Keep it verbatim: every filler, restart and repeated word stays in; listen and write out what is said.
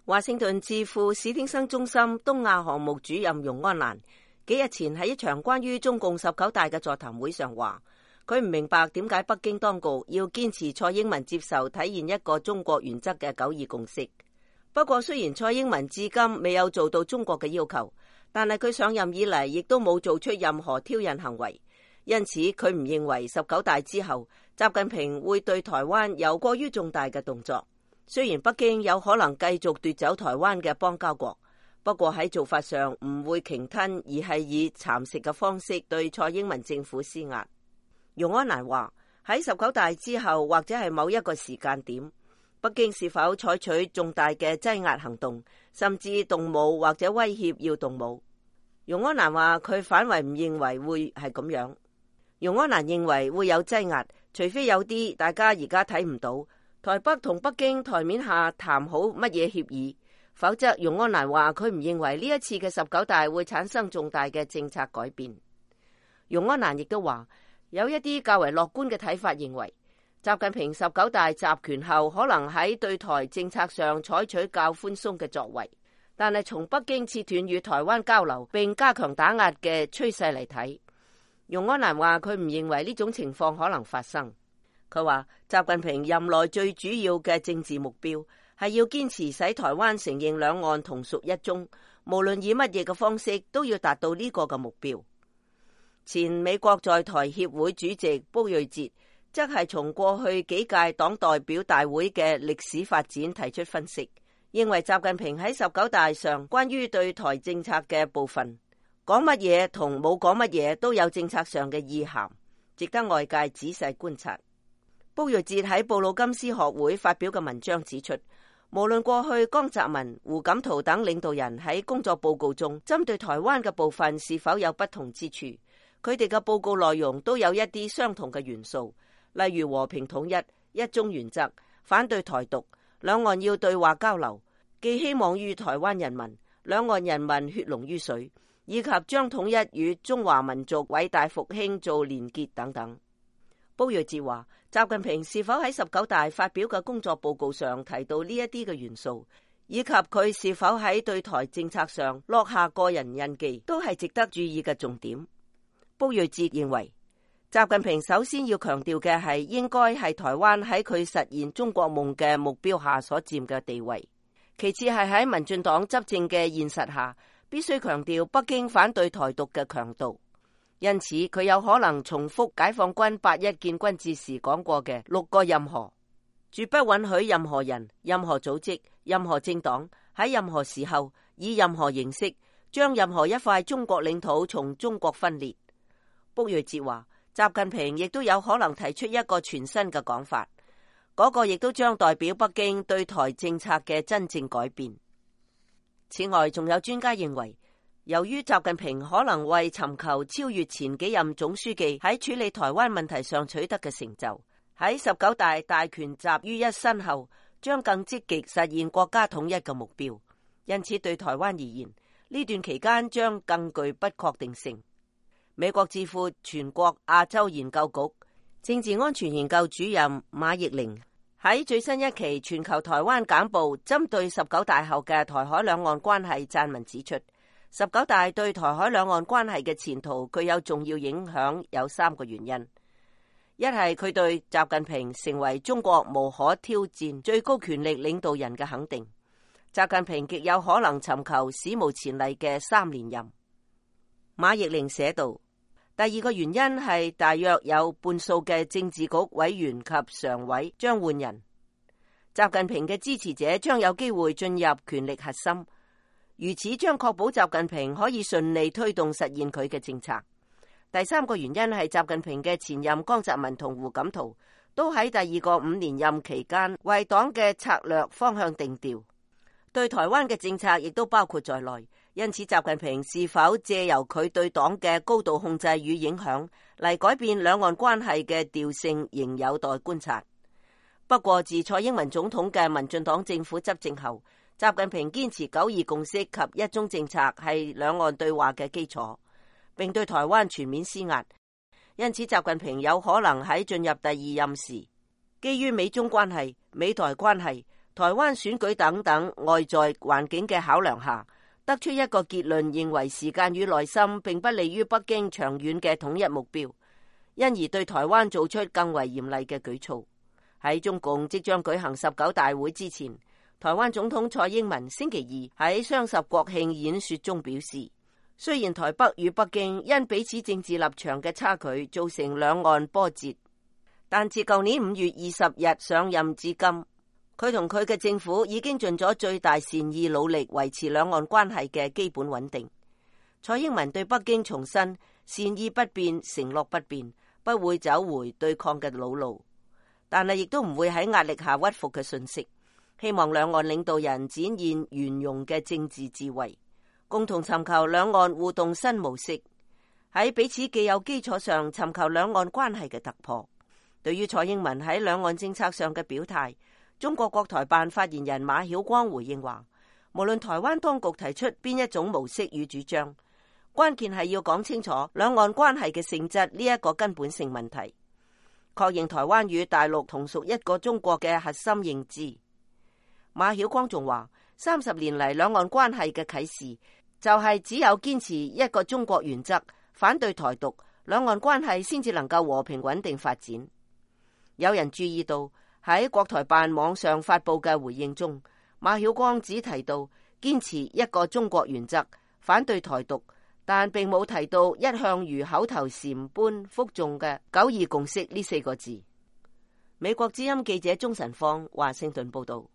華盛頓智庫史汀生中心東亞項目主任容安蘭幾日前喺一場關於中共十九大嘅座談會上話，佢唔明白點解北京當局要堅持蔡英文接受體現一個中國原則嘅九二共識。不過雖然蔡英文至今未有做到中國嘅要求，但係佢上任以嚟亦都冇做出任何挑釁行為，因此佢唔認為十九大之後習近平會對台灣有過於重大嘅動作。雖然北京有可能繼續奪走台灣嘅邦交國，不過喺做法上唔會鯨吞，而係以蠶食嘅方式對蔡英文政府施壓。容安蘭話，喺十九大之後或者係某一個時間點，北京是否採取重大嘅擠壓行動，甚至動武或者威脅要動武？容安蘭話佢反為唔認為會係咁樣。容安蘭認為會有擠壓，除非有啲大家而家睇唔到，台北同北京台面下談好乜嘢協議，否則容安蘭話佢唔認為呢一次嘅十九大會產生重大嘅政策改變。容安蘭亦都話有一啲較為樂觀嘅睇法，認為習近平十九大集權後可能喺對台政策上採取較寬鬆嘅作為，但係從北京切斷與台灣交流並加強打壓嘅趨勢嚟睇，容安蘭話佢唔認為呢種情況可能發生。佢話習近平任內最主要嘅政治目標係要堅持使台灣承認兩岸同屬一中，無論以乜嘢嘅方式都要達到呢個嘅目標。前美國在台協會主席卜瑞哲則係從過去幾屆黨代表大會嘅歷史發展提出分析，認為習近平喺十九大上關於對台政策嘅部分講乜嘢同冇講乜嘢都有政策上嘅意涵，值得外界仔細觀察。卜瑞哲喺布魯金斯學會發表嘅文章指出，無論過去江澤民、胡錦濤等領導人喺工作報告中針對台灣嘅部分是否有不同之處，佢哋嘅報告內容都有一啲相同嘅元素，例如和平統一、一中原則、反對台獨、兩岸要對話交流、寄希望於台灣人民、兩岸人民血濃於水，以及將統一與中華民族偉大復興做連結等等。卜瑞哲話，習近平是否喺十九大發表嘅工作報告上提到呢一啲嘅元素，以及佢是否喺對台政策上落下個人印記，都係值得注意嘅重點。卜瑞哲認為，習近平首先要強調嘅係應該係台灣喺佢實現中國夢嘅目標下所佔嘅地位，其次係喺民進黨執政嘅現實下，必須強調北京反對台獨嘅強度。因此，佢有可能重複解放軍八一建軍節時講過嘅六個任何，絕不允許任何人、任何組織、任何政黨喺任何時候以任何形式將任何一塊中國領土從中國分裂。卜瑞哲話，習近平亦都有可能提出一個全新嘅講法，嗰個亦都將代表北京對台政策嘅真正改變。此外，仲有專家認為，由於習近平可能為尋求超越前幾任總書記喺處理台灣問題上取得嘅成就，喺十九大大權集於一身後，將更積極實現國家統一嘅目標。因此，對台灣而言，呢段期間將更具不確定性。美國智庫全國亞洲研究局政治安全研究主任馬奕玲喺最新一期全球台灣簡報針對十九大後嘅台海兩岸關係撰文指出，十九大對台海兩岸關係嘅前途具有重要影響，有三個原因。一係佢對習近平成為中國無可挑戰最高權力領導人嘅肯定，習近平極有可能尋求史無前例嘅三連任。馬奕玲寫道，第二個原因係大約有半數嘅政治局委員及常委將換人，習近平嘅支持者將有機會進入權力核心，如此將確保習近平可以順利推動實現佢嘅政策。第三個原因係習近平嘅前任江澤民同胡錦濤都喺第二個五年任期間為黨嘅策略方向定調，對台灣嘅政策亦都包括在內。因此，習近平是否借由佢對黨嘅高度控制與影響嚟改變兩岸關係嘅調性，仍有待觀察。不過，自蔡英文總統嘅民進黨政府執政後，習近平堅持九二共識及一中政策係兩岸對話嘅基礎，並對台灣全面施壓。因此，習近平有可能喺進入第二任時，基於美中關係、美台關係、台灣選舉等等外在環境嘅考量下，得出一個結論，認為時間與耐心並不利於北京長遠嘅統一目標，因而對台灣做出更為嚴厲嘅舉措。喺中共即將舉行十九大會之前，台灣總統蔡英文星期二喺雙十國慶演說中表示，雖然台北與北京因彼此政治立場嘅差距造成兩岸波折，但自舊年五月二十日上任至今，佢同佢嘅政府已經盡咗最大善意努力維持兩岸關係嘅基本穩定。蔡英文對北京重申善意不變，承諾不變，不會走回對抗嘅老路，但係亦都唔會喺壓力下屈服嘅訊息。希望兩岸領導人展現圓融嘅政治智慧，共同尋求兩岸互動新模式，喺彼此既有基礎上尋求兩岸關係嘅突破。對於蔡英文喺兩岸政策上嘅表態，中國國台辦發言人馬曉光回應話，無論台灣當局提出邊一種模式與主張，關鍵係要講清楚兩岸關係嘅性質呢一個根本性問題，確認台灣與大陸同屬一個中國嘅核心認知。馬曉光仲話，三十年嚟兩岸關係嘅啟示就係只有堅持一個中國原則，反對台獨，兩岸關係先至能夠和平穩定發展。有人注意到喺國台辦網上發佈嘅回應中，馬曉光只提到堅持一個中國原則，反對台獨，但並冇提到一向如口頭禪般複誦嘅九二共識呢四個字。美國之音記者鍾晨芳華盛頓報道。